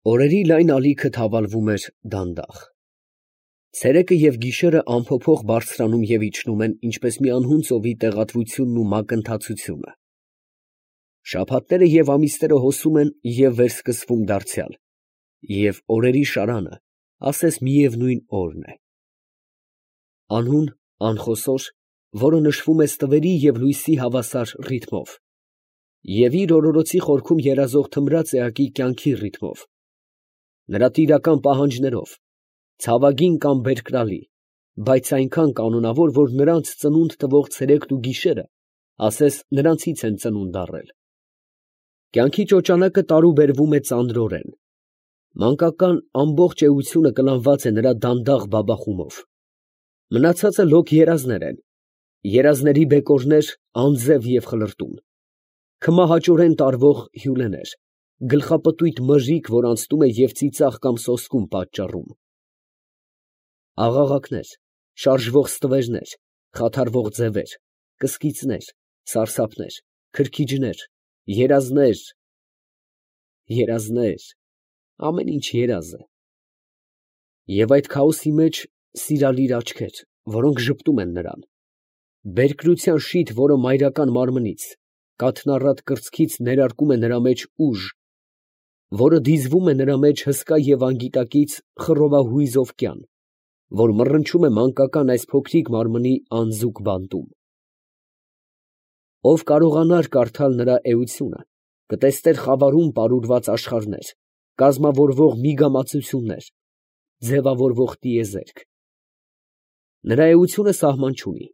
Օրերի լայն ալիքը թավալվում էր դանդաղ։ Ցերեկը և գիշերը անփոփոխ բարձրանում և իջնում են, ինչպես մի անհուն ծովի տեղատվությունն ու մակընթացությունը։ Շաբաթները և ամիսները հոսում են և վերսկսվում դարձյալ, և օրերի շարանը ասես միևնույն օրն է։ Անհուն, անխոսոր, որը նշվում է ստվերի և լույսի հավասար ռիթմով, և իր օրորոցի խորքում երազող թմրած էակի կյանքի ռիթմով, նրա տիրական պահանջներով, ցավագին կամ բերկրալի, բայց այնքան կանոնավոր, որ նրանց ծնունդ տվող ցերեկն ու գիշերը ասես նրանցից են ծնունդ առել։ Կյանքի ճոճանակը տարուբերվում է ծանրորեն, մանկական ամբողջ էությունը կլանված է նրա դանդաղ բաբախումով, մնացածը լոկ երազներ են, երազների բեկորներ անձև և խլրտուն, քմահաճորեն տարվող հյուլեներ, գլխապտույտ մրրիկ, որ անցնում է և ծիծաղ կամ սոսկում պատճառում, աղաղակներ, շարժվող ստվերներ, խաթարվող ձևեր, կսկիծներ, սարսափներ, քրքիջներ, երազներ, երազներ, ամեն ինչ երազ է։ Եվ այդ քաոսի մեջ սիրալիր աչքեր, որոնք ժպտում են նրան, բերկրության շիթ, որը մայրական մարմնից, կաթնառատ կրծքից ներարկում է նրա մեջ ուժ, որը դիզվում է նրա մեջ հսկա և անգիտակից խռովահույզ օվկյան, որ մռնչում է մանկական այս փոքրիկ մարմնի անձուկ բանտում։ Ով կարողանար կարդալ նրա էությունը, կտեսներ խավարում պարուրված աշխարհներ, կազմավորվող միգամածություններ, ձևավորվող տիեզերք։ Նրա էությունը սահման չունի,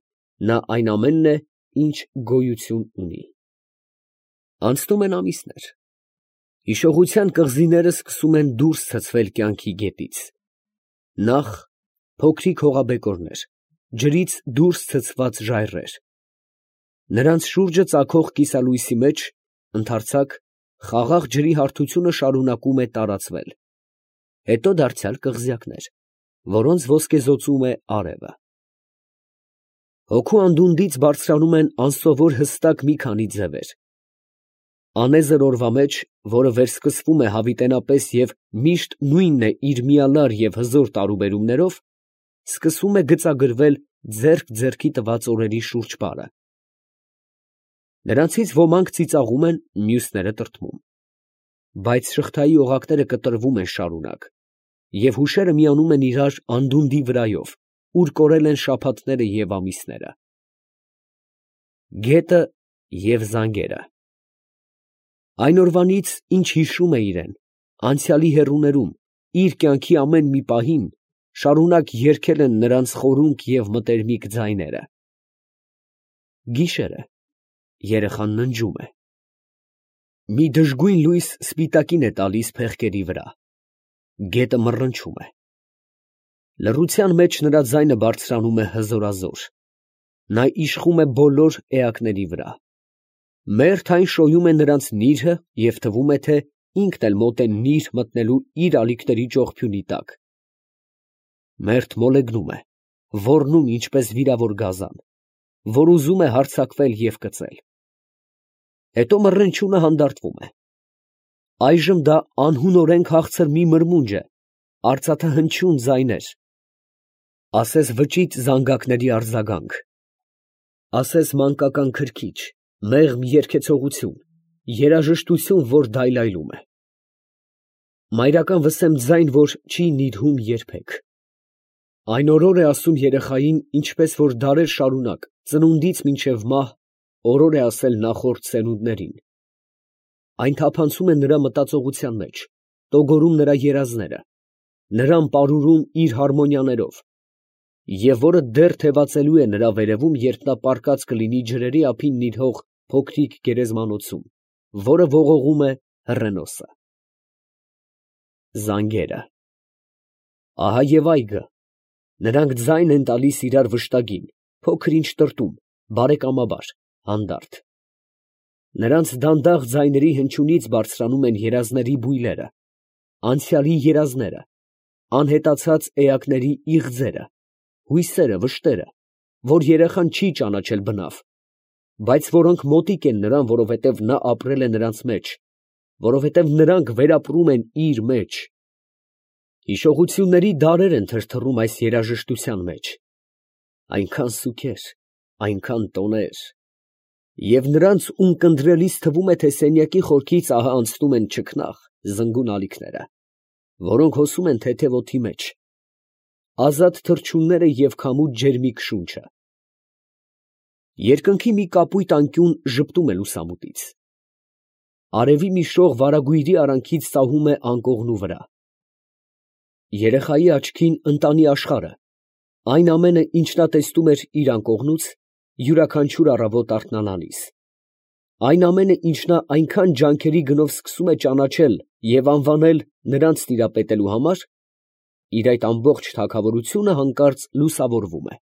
նա այն ամենն է, ինչ գոյություն ունի։ Անցնում են ամիսներ, հիշողության կղզիները սկսում են դուրս ցցվել կյանքի գետից։ Նախ փոքրիկ հողաբեկորներ, ջրից դուրս ցցված ժայռեր, նրանց շուրջը ծագող կիսալույսի մեջ, ընդարձակ, խաղաղ ջրի հարթությունը շարունակում է տարածվել, հետո դարձյալ կղզյակներ, որոնց ոսկեզօծում է արևը։ Հոգու անդունդից բարձրանում են անսովոր հստակ մի քանի ձևեր։ Անեզր օրվա մեջ, որը վերսկսվում է հավիտենապես և միշտ նույնն է իր միալար և հզոր տարուբերումներով, սկսում է գծագրվել ձեռք ձեռքի տված օրերի շուրջպարը։ Նրանցից ոմանք ծիծաղում են, մյուսները տրտմում, բայց շղթայի օղակները կտրվում են շարունակ, և հուշերը միանում են իրար անդունդի վրայով, ուր կորել են շաբաթները և ամիսները։ Գետը և զանգերը այն օրվանից, ինչ հիշում է իրեն, անցյալի հեռուներում, իր կյանքի ամեն մի պահին, շարունակ երգել են նրանց խորունկ և մտերմիկ ձայները։ Գիշեր է, երեխան ննջում է։ Մի դժգույն լույս սպիտակին է տալիս փեղկերի վրա, գետը մռնչում է։ Լռության մեջ նրա ձայնը բարձրանում է հզորազոր, նա իշխում է բոլոր էակների վրա։ Մերթ այն շոյում է նրանց նիրհը և թվում է, թե ինքն էլ մոտ է նիրհ մտնելու իր ալիքների ճողփյունի տակ։ Մերթ մոլեգնում է, ոռնում ինչպես վիրավոր գազան, որ ուզում է հարձակվել և կծել։ Հետո մռնչյունը հանդարտվում է։ Այժմ դա անհունորեն քաղցր մի մրմունջ է, արծաթահնչյուն ձայներ, ասես վճիտ զանգակների արձագանք, ասես մանկական քրքիջ, մեղմ երգեցողություն, երաժշտություն, որ դայլայլում է։ Մայրական վսեմ ձայն, որ չի նիրհում երբեք։ Այն օրոր է ասում երեխային, ինչպես որ դարեր շարունակ, ծնունդից մինչև մահ, օրոր է ասել նախորդ սերունդներին։ Այն թափանցում է նրա մտածողության մեջ, տոգորում նրա երազները, նրան պարուրում իր հարմոնիաներով, և որը դեռ թևածելու է նրա վերևում, երբ նա պառկած կլինի ջրերի ափին նիրհող փոքրիկ գերեզմանոցում, որը ողողում է հռենոսը։ Զանգերը ահա և այգը, նրանք ձայն են տալիս իրար վշտագին, փոքր ինչ տրտում, բարեկամաբար, հանդարտ։ Նրանց դանդաղ ձայների հնչյունից բարձրանում են երազների բույլերը, անցյալի երազները, անհետացած էակների իղձերը, հույսերը, վշտերը, որ երեխան չի ճանաչել բնավ, բայց որոնք մոտիկ են նրան, որովհետև նա ապրել է նրանց մեջ, որովհետև նրանք վերապրում են իր մեջ։ Հիշողությունների դարեր են թրթռում այս երաժշտության մեջ, այնքան սուքեր, այնքան տոներ, և նրանց ունկնդրելիս թվում է, թե սենյակի խորքից ահա անցնում են չքնաղ, զնգուն ալիքները, որոնք հոսում են թեթև օդի մեջ, ազատ թռչունները և քամու ջերմիկ շունչը։ Երկնքի մի կապույտ անկյուն ժպտում է լուսամուտից։ Արևի մի շող վարագույրի արանքից սահում է անկողնու վրա։ Երեխայի աչքին ընտանի աշխարհը, այն ամենը, ինչ նա տեսնում էր իր անկողնուց, յուրաքանչյուր առավոտ արթնանալիս, այն ամենը, ինչ նա այնքան ջանքերի գնով սկսում է ճանաչել և անվանել նրանց տիրապետելու համար, իր այդ ամբողջ թագավորությունը հանկարծ լուսավորվում է։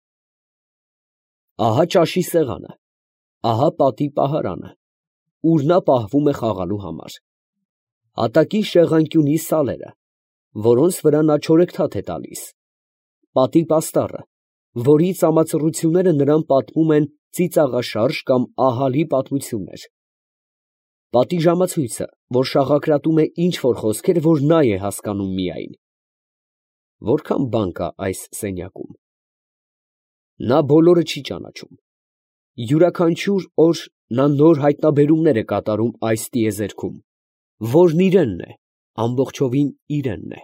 Ահա ճաշի սեղանը, ահա պատի պահարանը, ուր նա պահվում է խաղալու համար, հատակի շեղանկյունի սալերը, որոնց վրա նա չորեքթաթ է տալիս, պատի պաստառը, որի ծամածռությունները նրան պատմում են ծիծաղաշարժ կամ ահռելի պատմություններ, պատի ժամացույցը, որ շաղակրատում է ինչ֊որ խոսքեր, որ նա է հասկանում միայն։ Որքան բան կա այս սենյակում։ Նա բոլորը չի ճանաչում։ Յուրաքանչյուր օր նա նոր հայտնաբերումներ է կատարում այս տիեզերքում, որն իրենն է, ամբողջովին իրենն է։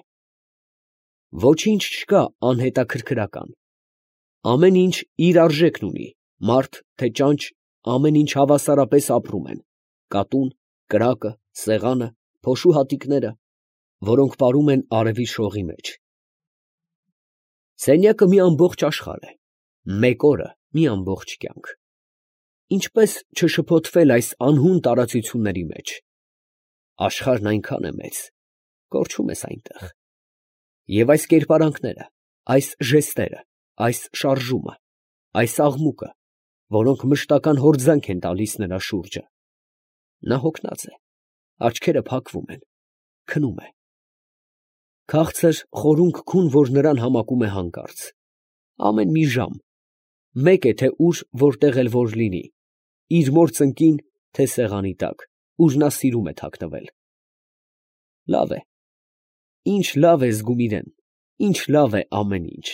Ոչինչ չկա անհետաքրքրական։ Ամեն ինչ իր արժեքն ունի, մարդ, թե ճանճ, ամեն ինչ հավասարապես ապրում են, կատուն, կրակը, սեղանը, փոշու հատիկները, որոնք պարում են արևի շողի մեջ։ Սենյակը մի ամբողջ աշխարհ է, մեկ օրը մի ամբողջ կյանք։ Ինչպես չշփոթվել այս անհուն տարածությունների մեջ։ Աշխարհն այնքան է մեծ, կորչում ես այնտեղ։ Եվ այս կերպարանքները, այս ժեստերը, այս շարժումը, այս աղմուկը, որոնք մշտական հորձանք են տալիս նրա շուրջը։ Նա հոգնած է, աչքերը փակվում են, քնում է։ Քաղցր խորունկ քուն, որ նրան համակում է հանկարծ։ Ամեն մի ժամ, մեկ է թե ուր որտեղ էլ որ լինի, իր մոր ծնկին, թե սեղանի տակ, ուր նա սիրում է թաքնվել։ Լավ է, ինչ լավ է զգում իրեն, ինչ լավ է ամեն ինչ։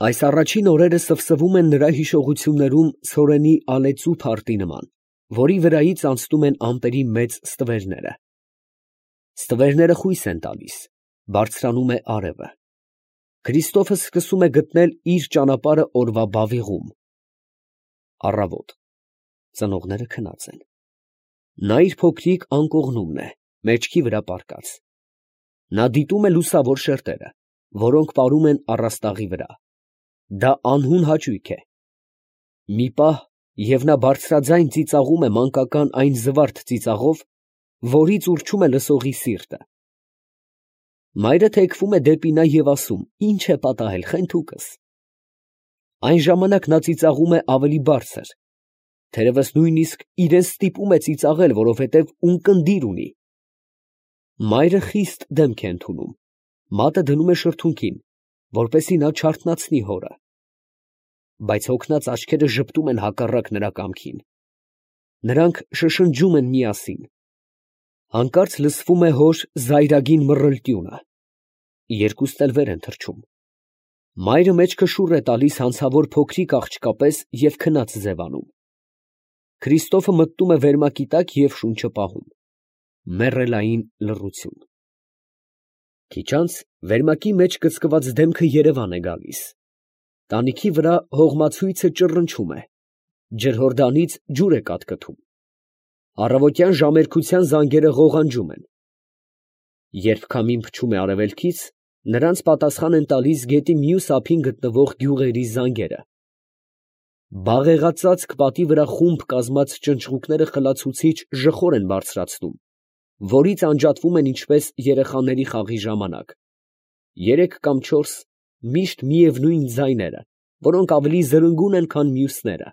Այս առաջին օրերը սվսվում են նրա հիշողություններում ցորենի ալեծու փարթի նման, որի վրայից անցնում են ամպերի մեծ ստվերները։ Ստվերները խույս են տալիս, բարձրանում է արևը։ Քրիստոֆը սկսում է գտնել իր ճանապարհը օրվա բավիղում։ Առավոտ, ծնողները քնած են։ Նա իր փոքրիկ անկողնումն է, մեջքի վրա պառկած։ Նա դիտում է լուսավոր շերտերը, որոնք պարում են առաստաղի վրա։ Դա անհուն հաճույք է։ Մի պահ, և նա բարձրաձայն ծիծաղում է մանկական այն զվարթ ծիծաղով, որից ուռչում է լսողի սիրտը։ Մայրը թեքվում է դեպի նա և ասում. «Ի՞նչ է պատահել, խենթուկս»։ Այն ժամանակ նա ծիծաղում է ավելի բարձր, թերևս նույնիսկ իրան ստիպում է ծիծաղել, որովհետև ունկնդիր ունի։ Մայրը խիստ դեմք է ընդունում, մատը դնում է շրթունքին, որպեսզի նա չարթնացնի հորը։ Բայց հոգնած աչքերը ժպտում են հակառակ նրա կամքին։ Նրանք շշնջում են միասին։ Հանկարծ լսվում է հոր զայրագին մռլտյունը։ Երկուսն էլ վեր են թռչում։ Մայրը մեջքը շուռ է տալիս հանցավոր փոքրիկ աղջկա պես և քնած ձևանում։ Քրիստոֆը մտնում է վերմակի տակ և շունչը պահում։ Մեռելային լռություն։ Քիչ անց վերմակի մեջ կծկված դեմքը երևան է գալիս։ Տանիքի վրա հողմացույցը ճռնչում է։ Ջրհորդանից ջուր է կատկտում։ Առավոտյան ժամերկության զանգերը ղողանջում են։ Երբ քամին փչում է արևելքից, նրանց պատասխան են տալիս գետի մյուս ափին գտնվող գյուղերի զանգերը։ Բաղեղածածկ պատի վրա խումբ կազմած ճնճղուկները խլացուցիչ ժխոր են բարձրացնում, որից անջատվում են ինչպես երեխաների խաղի ժամանակ, 3 կամ 4 միշտ միևնույն ձայները, որոնք ավելի զրնգուն են, քան մյուսները։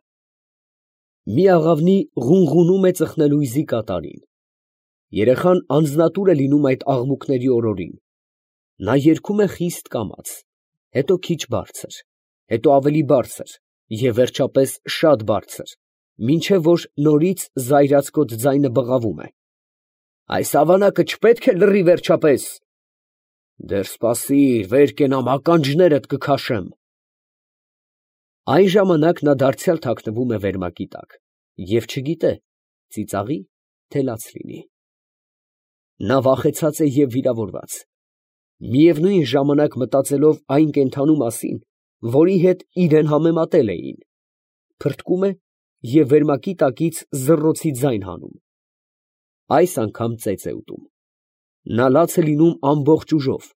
Մի աղավնի ղունղունում է ծխնելույզի կատարին։ Երեխան անձնատուր է լինում այդ աղմուկների օրորին։ Նա երգում է խիստ կամաց, հետո քիչ բարձր, հետո ավելի բարձր և վերջապես շատ բարձր, մինչև որ նորից զայրացկոտ ձայնը բղավում է, Այս ավանակը չպետք է լռի վերջապես։ Դեռ սպասիր, վեր կենամ, ականջներդ կքաշեմ։ Այն ժամանակ նա դարձյալ թաքնվում է վերմակի տակ և չգիտե ծիծաղի, թե լաց լինի։ Նա վախեցած է և վիրավորված, միևնույն ժամանակ մտածելով այն կենդանու մասին, որի հետ իրեն համեմատել էին, փրկում է և վերմակի տակից զռռոցի ձայն հանում։ Այս անգամ ծեծ է ուտում։ Նա լաց է լինում ամբողջ ուժով,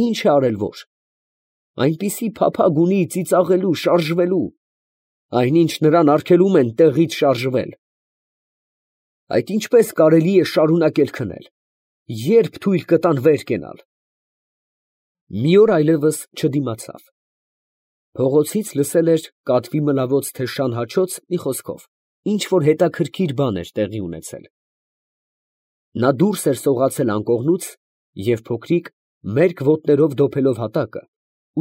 ինչ է արել որ։ Այնպիսի փափագ ունի ծիծաղելու, շարժվելու, այնինչ նրան արգելում են տեղից շարժվել։ Այդ ինչպես կարելի է շարունակել քնել, երբ թույլ կտան վեր կենալ։ Մի օր այլևս չդիմացավ։ Փողոցից լսել էր կատվի մլավոց թե շան հաչոց, մի խոսքով, ինչ որ հետաքրքիր բան էր տեղի ունեցել։ Նա դուրս էր սողացել անկողնուց և փոքրիկ, մերկ ոտներով դոփելով հատակը,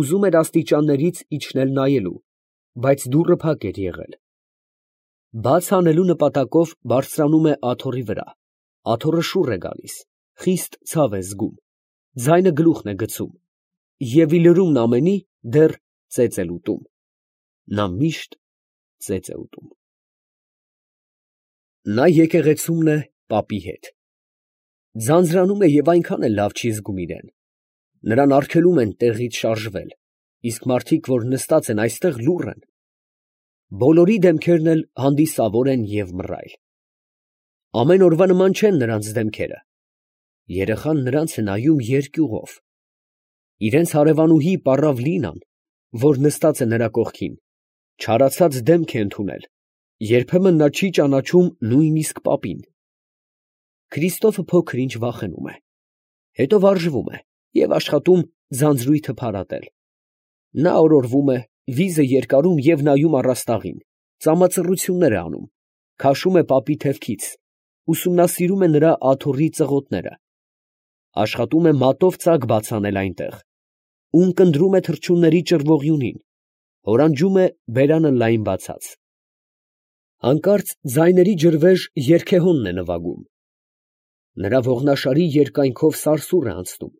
ուզում էր աստիճաններից իջնել նայելու, բայց դուռը փակ էր եղել։ Բաց անելու նպատակով բարձրանում է աթոռի վրա, աթոռը շուռ է գալիս, խիստ ցավ է զգում, ձայնը գլուխն է գցում, և ի լրումն ամենի դեռ ծեծ է ուտում։ Նա միշտ ծեծ է ուտում։ Նա եկեղեցումն է պապի հետ։ Ձանձրանում է և այնքան էլ լավ չի զգում իրան։ Նրան արգելում են տեղից շարժվել, իսկ մարդիկ, որ նստած են այստեղ, լուռ են։ Բոլորի դեմքերն էլ հանդիսավոր են և մռայլ։ Ամեն օրվա նման չեն նրանց դեմքերը։ Երեխան նրանց է նայում երկյուղով։ Իրենց հարևանուհի պառավ Լինան, որ նստած է նրա կողքին, չարացած դեմք է ընդունել, երբեմն նա չի ճանաչում նույնիսկ պապին։ Քրիստոֆը փոքր ինչ վախենում է, հետո վարժվում է և աշխատում ձանձրույթը փարատել։ Նա օրորվում է, վիզը երկարում և նայում առաստաղին, ծամածռություններ է անում, քաշում է պապի թևքից, ուսումնասիրում է նրա աթոռի ծղոտները, աշխատում է մատով ծակ բաց անել այնտեղ, ունկնդրում է թռչունների ճռվողյունին, հորանջում է բերանը լայն բացած։ Հանկարծ ձայների ջրվեժ երգեհոնն է նվագում։ Նրա ողնաշարի երկայնքով սարսուռ է անցնում։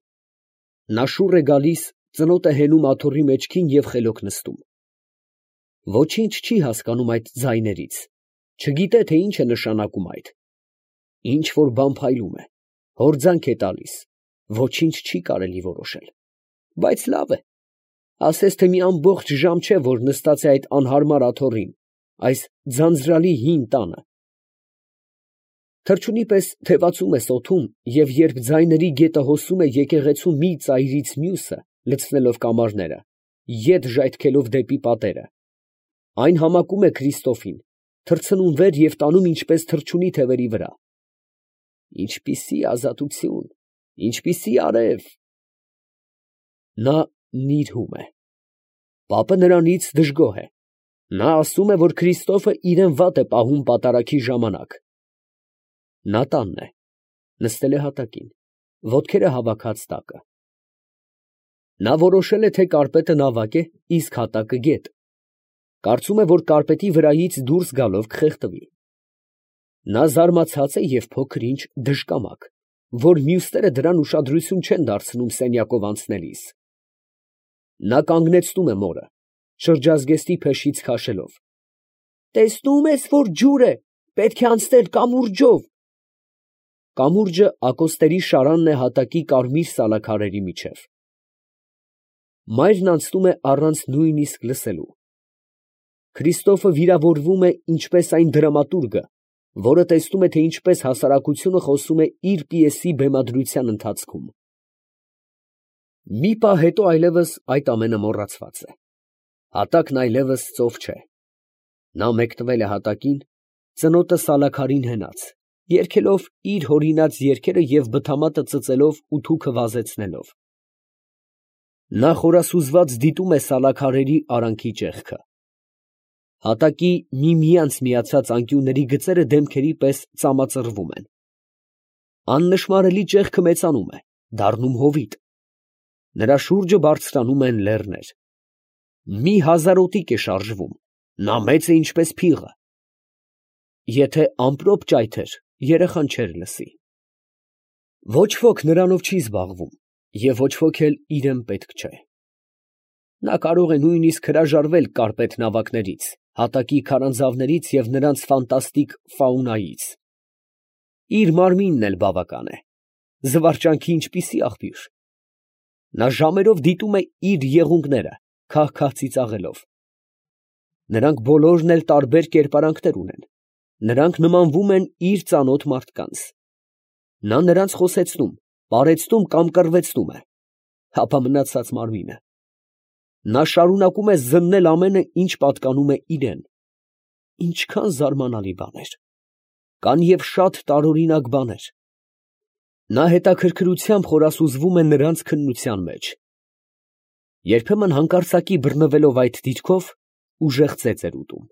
Նա շուռ է գալիս, ծնոտ է հենում աթոռի մեջքին և խելոք նստում։ Ոչինչ չի հասկանում այդ ձայներից, չգիտե, թե ինչ է նշանակում այդ։ Ինչ որ բան փայլում է, հորձանք է տալիս, ոչինչ չի կարելի որոշել, բայց լավ է, ասես թե մի ամբողջ ժամ չէ, որ նստած է այդ անհարմար աթոռին, այս ձանձրալի հին տանը։ Թռչունի պես թևածում է սոթում, և երբ ձայների գետը հոսում է եկեղեցու մի ծայրից մյուսը, լցնելով կամարները, ետ ժայթքելով դեպի պատերը, այն համակում է Քրիստոֆին, թռցնում վեր և տանում ինչպես թռչունի թևերի վրա։ Ինչպիսի ազատություն, ինչպիսի արև։ Նա նիրհում է։ Պապը նրանից դժգոհ է։ Նա ասում է, որ Քրիստոֆը իրան վատ է պահում պատարագի ժամանակ։ Նա տանն է, նստել է հատակին, ոտքերը հավաքած տակը։ Նա որոշել է, թե կարպետը նավակ է, իսկ հատակը գետ։ Կարծում է, որ կարպետի վրայից դուրս գալով կխեղդվի։ Նա զարմացած է և փոքր ինչ դժկամակ, որ մյուսները դրան ուշադրություն չեն դարձնում սենյակով անցնելիս։ Նա կանգնեցնում է մորը, շրջազգեստի փեշից քաշելով։ Տեսնում ես, որ ջուր է, պետք է անցնել կամուրջով։ Կամուրջը ակոստերի շարանն է հատակի կարմիր սալաքարերի միջև։ Մայրն անցնում է առանց նույնիսկ լսելու։ Քրիստոֆը վիրավորվում է ինչպես այն դրամատուրգը, որը տեսնում է, թե ինչպես հասարակությունը խոսում է իր պիեսի բեմադրության ընթացքում։ Մի պահ հետո այլևս այդ ամենը մոռացված է։ Հատակն այլևս ծով չէ։ Նա մեկնվել է հատակին, ծնոտը սալաքարին հենած, երգելով իր հորինած երգերը և բթամատը ծծելով ու թուքը վազեցնելով։ Նա խորասուզված դիտում է սալաքարերի արանքի ճեղքը։ Հատակի միմյանց միացած անկյունների գծերը դեմքերի պես ծամածռվում են։ Աննշմարելի ճեղքը մեծանում է, դառնում հովիտ։ Նրա շուրջը բարձրանում են լեռներ։ Մի հազարոտիկ է շարժվում, նա մեծ է ինչպես փիղը։ Եթե ամպրոպ ճայթեր, երեխան չէր լսի։ Ոչ ոք նրանով չի զբաղվում և ոչ ոք էլ իրան պետք չէ։ Նա կարող է նույնիսկ հրաժարվել կարպետ նավակներից, հատակի քարանձավներից և նրանց ֆանտաստիկ ֆաունայից։ Իր մարմինն էլ բավական է, զվարճանքի ինչպիսի աղբյուր։ Նա ժամերով դիտում է իր եղունգները, քահ֊քահ ծիծաղելով։ Նրանք բոլորն էլ տարբեր կերպարանքներ ունեն, նրանք նմանվում են իր ծանոթ մարդկանց։ Նա նրանց խոսեցնում, պարեցնում կամ կռվեցնում է, ապա մնացած մարմինը։ Նա շարունակում է զննել ամենը, ինչ պատկանում է իրան։ Ինչքան զարմանալի բաներ, կան և շատ տարօրինակ բաներ։ Նա հետաքրքրությամբ խորասուզվում է նրանց քննության մեջ։ Երբեմն հանկարծակի բռնվելով այդ դիրքով, ուժեղ ծեծ էր ուտում։